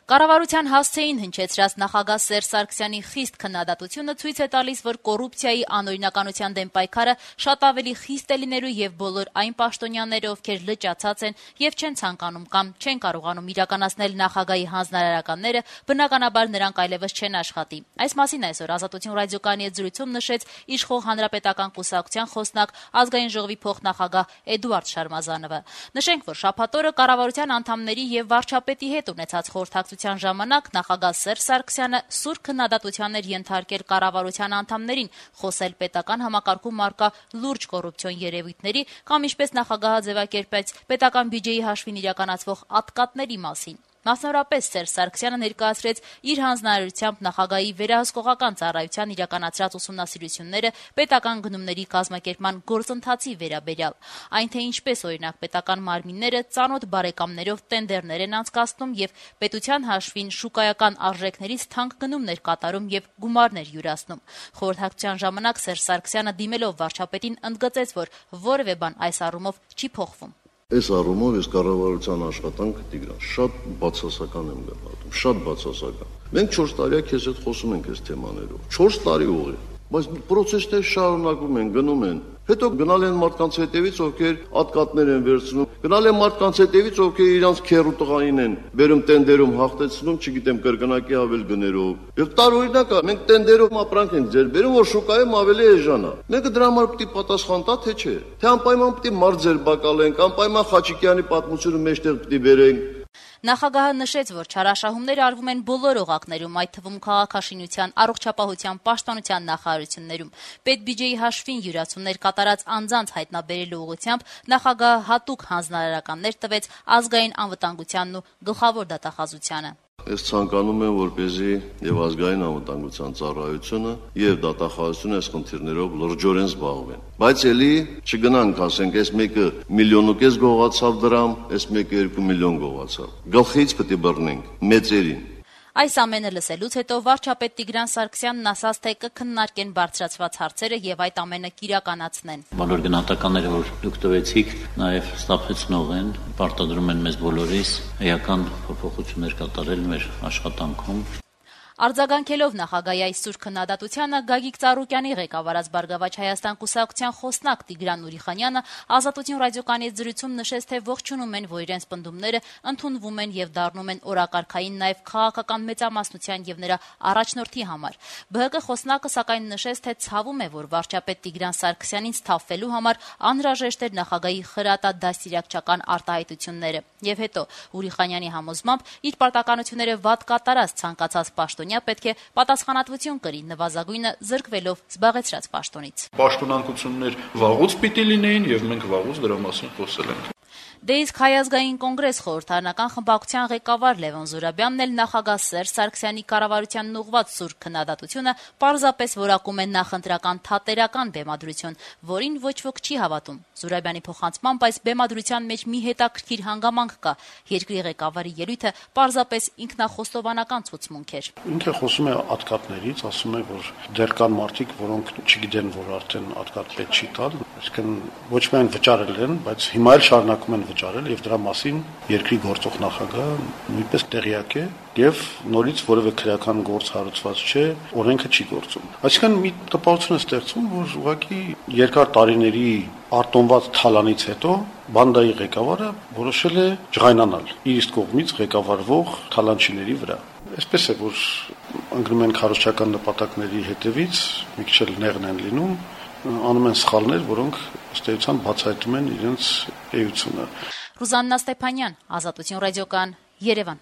Կառավարության հասցեին հնչեցրած նախագահ Սերժ Սարգսյանի խիստ քննադատությունը ցույց է տալիս, որ կոռուպցիայի անօրինականության դեմ պայքարը շատ ավելի խիստ է լինելու եւ բոլոր այն պաշտոնյաները, ովքեր լճացած են եւ չեն ցանկանում կամ չեն կարողանում իրականացնել նախագահի հանձնարարականները, բնականաբար նրանք այլևս չեն աշխատի։ Այս մասին այսօր Ազատություն ռադիոկայանի հետ զրույցում նշեց իշխող Հանրապետական կուսակցության խոսնակ Ազգային ժողովի փոխնախագահ Էդուարդ Շարմազանովը։ Նշենք, որ շաբաթ օրը կառավարության անդամների եւ վարչապետի հետ ունեցած խորհրդակցության ժամանակ նախագահ Սերժ Սարգսյանը սուր քննադատության էր ենթարկել կառավարության անդամներին, խոսել պետական համակարգում առկա լուրջ կոռուպցիոն երևույթների կամ ինչպես նախագահը ձևակերպեց պետական բյուջեի հաշվին իրականացվող ատկատների մասին։ Մասնավորապես Սերժ Սարգսյանը ներկայացրեց իր հանձնարարությամբ նախագահի վերահսկողական ծառայության իրականացրած ուսումնասիրությունները պետական գնումների կազմակերպման գործընթացի վերաբերյալ, այն թե ինչպես օրինակ պետական մարմինները ծանոթ բարեկամներով տենդերներ են անցկացնում եւ պետության հաշվին շուկայական արժեքներից թանկ գնումներ կատարում եւ գումարներ յուրացնում։ Խորհրդակցության ժամանակ Սերժ Սարգսյանը դիմելով վարչապետին ընդգծեց, որ որևէ բան այս առումով չի փոխվում։ Այս առումով ես կառավարության աշխատանքը Տիգրան շատ բացասական եմ գնահատում, շատ բացասական։ Մենք 4 տարի քեզ հետ խոսում ենք այս թեմաներով։ 4 տարի ուղի, բայց process-ները շարունակում են, գնում են։ Հետո գնալ են մարդկանց հետևից, ովքեր ատկատներ են վերցնում, գնալ են մարդկանց հետևից, ովքեր իրանց քերու տղային են բերում տենդերում հաղթեցնում, չգիտեմ, կրկնակի ավել գներով։ Եվ տարօրինակ է, մենք տենդերով ապրանք ենք ձեր բերում, որ շուկայում ավելի էժանա։ Մեկը դրա համար պետք է պատասխան տա, թե չէ։ Թե անպայման պետք է մարդ ձեր բակալենք, անպայման Խաչիկյանի պատմությունը մեջտեղ պետք է բերենք։ Նախագահը նշեց, որ չարաշահումներ արվում են բոլոր օղակներում, այդ թվում քաղաքաշինության, առողջապահության, պաշտպանության նախարարություններում։ Պետբյուջեի հաշվին յուրացումներ կատարած անձանց հայտնաբերելու ուղղությամբ նախագահը հատուկ հանձնարարականներ տվեց ազգային անվտանգությանն ու գլխավոր դատախազությանը։ Ես ցանկանում եմ, որպեսզի եւ ազգային անվտանգության ծառայությունը եւ դատախազությունը այս խնդիրներով լրջորեն զբաղվեն։ Բայց ելի չգնանք, ասենք, այս մեկը 1,5 միլիոն գողացավ դրամ, այս մեկը 2 միլիոն գողացավ։ Գլխից պետք է բռնենք մեծերին։ Այս ամենը լսելուց հետո վարչապետ Տիգրան Սարգսյանն ասաց, թե կքննարկեն բարձրացված հարցերը եւ այդ ամենը կիրականացնեն։ Բոլոր գնահատականները, որ դուք տվեցիք, նաեւ ստապեցնող են, պարտադրում են մեզ բոլորիս էական փոփոխություններ կատարել մեր աշխատանքում։ Արձագանքելով նախագահի այս սուր քննադատությանը Գագիկ Ծառուկյանի ղեկավարած Բարգավաճ Հայաստան կուսակցության խոսնակ Տիգրան Նուրիխանյանը Ազատություն ռադիոկայանի հետ զրույցում նշեց, թե ողջունում են, որ իրենց պնդումները ընդունվում են եւ դառնում են օրակարգային նաեւ քաղաքական մեծամասնության եւ նրա առաջնորդի համար։ ԲՀԿ խոսնակը սակայն նշեց, թե ցավում է, որ վարչապետ Տիգրան Սարգսյանին սթափվելու համար անհրաժեշտ էր նախագահի խրատադաստիարակչական արտահայտությունները։ Եվ հետո Ուրիխանյանի համոզմամբ իր պարտականությունները վատ կատարած ցանկացած պաշտոնյա պետք է պատասխանատվություն կրի, նվազագույնը զրկվելով զբաղեցրած պաշտոնից։ Պաշտոնանկություններ վաղուց պիտի լինեին եւ մենք վաղուց դրա մասին խոսել ենք։ Դե իսկ Հայ ազգային կոնգրես խորհրդարանական խմբակցության ղեկավար Լևոն Զուրաբյանն էլ նախագահ Սերժ Սարգսյանի կառավարությանն ուղղված սուր քննադատությունը պարզապես որակում է նախընտրական թատերական բեմադրություն, որին ոչ ոք չի հավատում։ Զուրաբյանի փոխանցմամբ այս բեմադրության մեջ մի հետաքրքիր հանգամանք կա։ Երկրի ղեկավարի ելույթը պարզապես ինքնախոստովանական ցուցմունք էր։ Ինքը խոսում է ատկատներից, ասում է, որ դեռ կան մարդիկ, որոնք չգիտեն, որ արդեն ատկատ պետք չի տալ, այսինքն ոչ միայն վճարել են, բայց հիմա էլ շարունակում են վճարել եւ դրա մասին երկրի գործող նախագահը նույնպես տեղյակ է եւ նորից որևէ քրեական գործ հարուցված չէ, օրենքը չի գործում։ Այսինքն մի տպավորություն է ստեղծվում, որ ուղղակի երկար տարիների արտոնված թալանից հետո բանդայի ղեկավարը որոշել է ջղայնանալ իր իսկ կողմից ղեկավարվող թալանչիների վրա։ Այսպես է, որ ընկնում են քարոզչական նպատակների հետևից, մի քիչ էլ նեղն են լինում, անում են սխալներ, որոնք ըստ էության բացահայտում են իրենց էությունը։ Ռուզաննա Ստեփանյան, Ազատություն ռադիոկայան, Երևան։